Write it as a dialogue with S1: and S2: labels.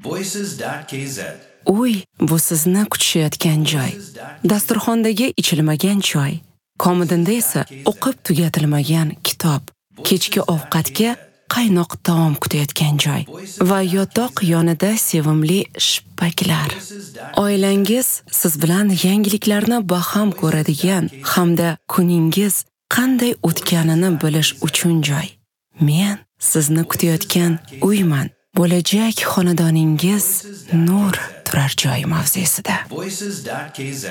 S1: Voices.kz.
S2: Uy bu sizni kutishayotgan joy. Dasturxondagi ichilmagan choy, komodinda esa o'qib tugatilmagan kitob, kechki ovqatga qaynoq taom kutayotgan joy va yotoq yonida sevimli shipaklar. Oilangiz siz bilan yangiliklarni baham ko'radigan hamda kuningiz qanday o'tganini bilish uchun joy. Men sizni kutayotgan uyman. Bo'lajak xonadoningiz nur turar joy mavzesida.
S1: Voices.kz.